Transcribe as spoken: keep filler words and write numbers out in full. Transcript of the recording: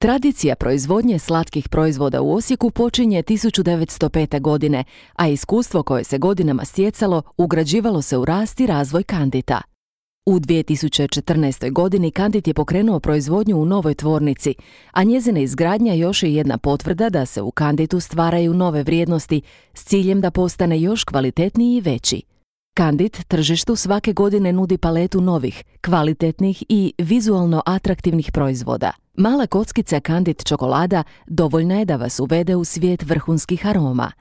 Tradicija proizvodnje slatkih proizvoda u Osijeku počinje tisuću devetsto pete. godine, a iskustvo koje se godinama stjecalo ugrađivalo se u rast i razvoj Kandita. U dvije tisuće četrnaestoj. godini Kandit je pokrenuo proizvodnju u novoj tvornici, a njezina izgradnja još je jedna potvrda da se u Kanditu stvaraju nove vrijednosti s ciljem da postane još kvalitetniji i veći. Kandit tržištu svake godine nudi paletu novih, kvalitetnih i vizualno atraktivnih proizvoda. Mala kockica Kandit čokolada dovoljna je da vas uvede u svijet vrhunskih aroma.